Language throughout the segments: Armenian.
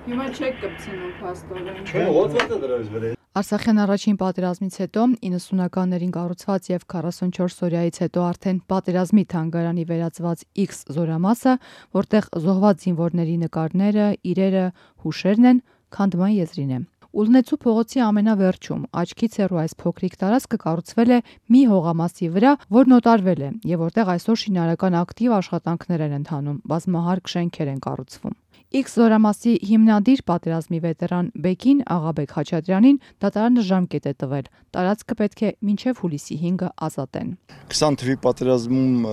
Հիմա չեք կպցնում փաստորեն։ Չէ, ոտվետը դրած վրա։ Արցախյան առաջին պատերազմից հետո 90-ականներին կառուցված եւ 44 օրյայից հետո արդեն պատերազմի թանգարանի վերածված X զորամասը, որտեղ զոհված զինվորների նկարները, իրերը, հուշերն են, քանդման եզրին է։ Ուլնեցու փողոցի ամենավերջում աչքից հեռու այս փոքրիկ տարածքը կառուցվել է մի հողամասի վրա, որն օտարվել է եւ որտեղ այսօր շինարարական ակտիվ աշխատանքներ են ընթանում, բազմահարկ շենքեր են կառուցվում։ X զորամասի հիմնադիր պատերազմի վետերան Բեկին Աղաբեկ Խաչատրյանին դատարանը ժամկետ է տվել։ Տարածքը պետք է մինչև հուլիսի 5-ը ազատեն։ 20 թվականի պատերազմում,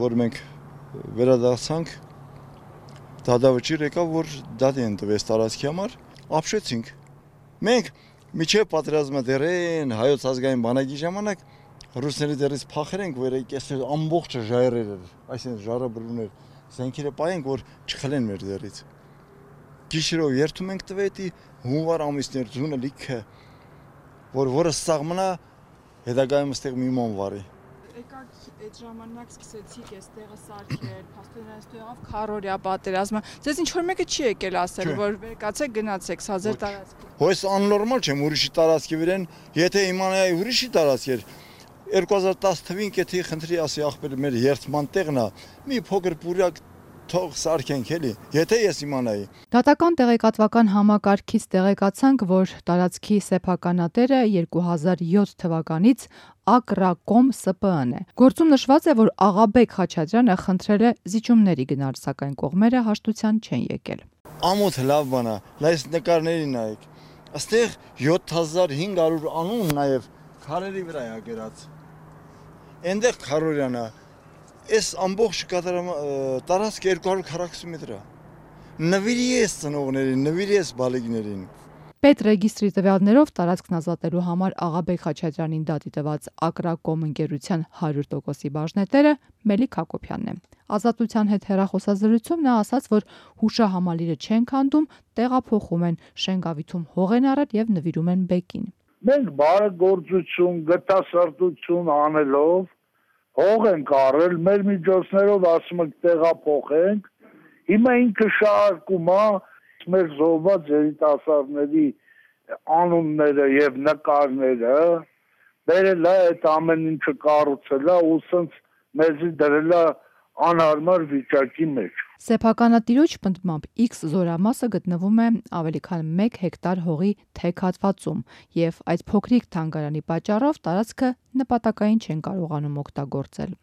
որ մենք վերադարձանք, դատավճիռ եկավ, որ դատի են տվեց տարածքի համար, ապշեցինք։ Մենք միջև պատերազմը դերեն հայոց ազգային բանակի ժամանակ ռուսների դերից փախել ենք, որ այսպես ամբողջը ժայռեր էր, այսինքն ժառաբրուներ, զենքերը պայենք, որ չխլեն մեր դերից։ Գիշերով երթում ենք տվետի հունվար ամիսներ ձունը լիքը, որը սաղմնա հետագայում ստեղ մի ման վարի։ Եկաք այդ ժամանակ սկսեցիք այս տեղը սարքել, փաստորեն այստեղ եղավ քարորյա պատերազմը։ Ձեզ ինչ որ մեկը չի եկել ասել, որ վերկացեք գնացեք, սա ձեր տարածքը։ Հույս աննորմալ չէ, ուրիշի տարածքի վրան, եթե իմանայի ուրիշի տարածք էր, 2010 թվին կեթի խնդրի ասի ախպեր մեր երթման տեղն է, մի փոքր պուրակ թող սարքենք էլի, եթե ես իմանայի։ Դատական տեղեկատվական համակարգից տեղեկացանք, որ տարածքի սեփականատերը 2007 թվականից Ակրակոմ ՍՊԸ-ն է։ Գործում նշված է, որ Աղաբեկ Խաչատրյանը խնդրել է զիջումների գնալ, սակայն կողմերը հաշտության չեն եկել։ Ամոթ լավ բան է, լայս նկարներին նայեք։ Աստեղ 7500 անուն նաև քարերի վրա է գրած։ Այնտեղ քարորյան է։ Այս ամբողջ տարածքը 240 մետր է։ Նվիրի ես ծնողներին, նվիրի ես բալիկներին։ Պետրեգիստրի տվյալներով տարածքն ազատելու համար Աղաբեկ Խաչատրյանին դատի տված Ակրակոմ ընկերության 100%-ի բաժնետերը Մելիք Հակոբյանն է։ Ազատության հետ հեռախոսազրույցում նա ասաց, որ հուշահամալիրը չեն քանդում, տեղափոխում են, շենգավիթում հող են առել եւ նվիրում են Բեկին։ Մենք բարեգործություն, գտասրտություն անելով հող ենք առել, մեր միջոցներով ասում ենք տեղափոխենք, հիմա ինքը շարքում է մեր զոհված երիտասարդների անունները եւ նկարները, բերել է այդ ամեն ինչը կառուցել է ու սենց մեզի դրել է անհարմար վիճակի մեջ։ Սեփականատիրոջ պնդմամբ X զորամասը գտնվում է ավելի քան 1 հեկտար հողի թեք հատվածում եւ այդ փոքրիկ թանգարանի պատճառով տարածքը նպատակային չեն կարողանում օգտագործել։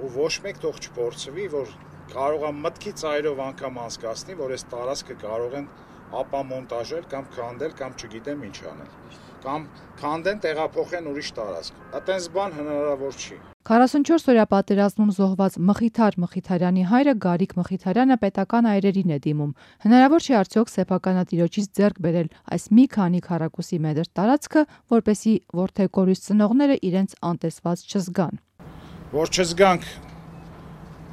Ու ոչ մեկ թող չփորձվի, որ կարող է մտքի ծայրով անգամ անցկացնի, որ այս տարածքը կարող են ապամոնտաժել կամ քանդել կամ չգիտեմ ինչ անել։ Կամ քանդեն, տեղափոխեն ուրիշ տարածք։ Այդպես բան հնարավոր չի։ 44 օրյա պատերազմում զոհված Մխիթար Մխիթարյանի հայրը Գարիկ Մխիթարյանը պետական այրերին է դիմում։ Հնարավոր չի արդյոք սեփականատիրոջից ձեռք բերել այս մի քանի քառակուսի մետր տարածքը, որպեսզի որդեկորույս ծնողները իրենց անտեսված չզգան։ Որ չզգանք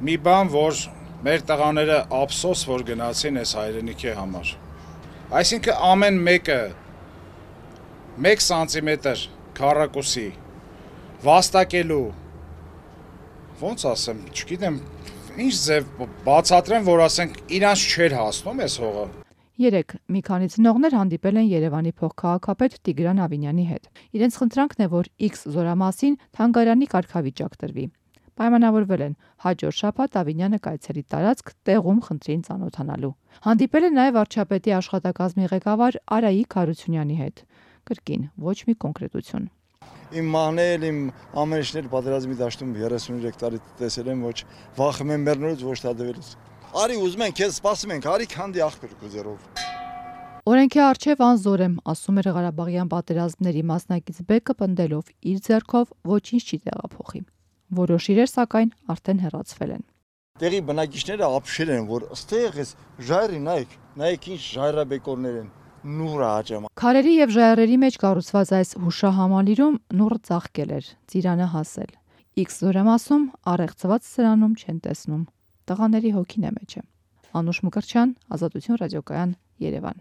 մի բան, որ մեր տղաները ափսոս որ գնացին այս հայրենիքի համար։ Այսինքն ամեն մեկը 1 սանտիմետր քառակուսի վաստակելու, ոնց ասեմ, չգիտեմ, ինչ ձև բացատրեմ, որ ասենք իրանց չէր հասնում այս հողը։ Երեկ մի քանի ծնողներ հանդիպել են Երևանի փոխքաղաքապետ Տիգրան Ավինյանի հետ։ Իրենց խնդրանքն է, որ X զորամասին թանգարանի կարգավիճակ տրվի։ Պայմանավորվել են հաջորդ շաբաթ Ավինյանը կայցելի տարածք տեղում խնդրին ծանոթանալու։ Հանդիպել է նաև վարչապետի աշխատակազմի ղեկավար Արայիկ Հարությունյանի հետ։ Կրկին ոչ մի կոնկրետություն։ Իմ մահնել, իմ ամեն ինչներ պատերազմի դաշտում 33 տարի տեսել եմ, ոչ վախում եմ մեռնելուց, ոչ տադվելուց։ Արի ուզում ենք, քեզ սպասում ենք, արի քանդի աղբեր գուզերով։ Օրենքի առջև անզոր եմ, ասում էր Ղարաբաղյան պատերազմների մասնակից Բեկը պնդելով իր ձեռքով ոչինչ չի տեղափոխի։ Որոշ իրեր սակայն արդեն հեռացվել են։ Տեղի բնակիչները ապշել են, որ ըստեղ էս ժայռի նայեք ինչ ժայռաբեկորներ են, նուռը աճամա։ Քարերի եւ ժայռերի մեջ կառուցված այս հուշահամալիրում նուռը ծաղկել էր, ծիրանը հասել։ X զորամասում առեղծված սրանում չեն տեսնում։ Տղաների հոգին է մեջը։ Անուշ Մկրտչյան, Ազատություն ռադիոկայան, Երևան։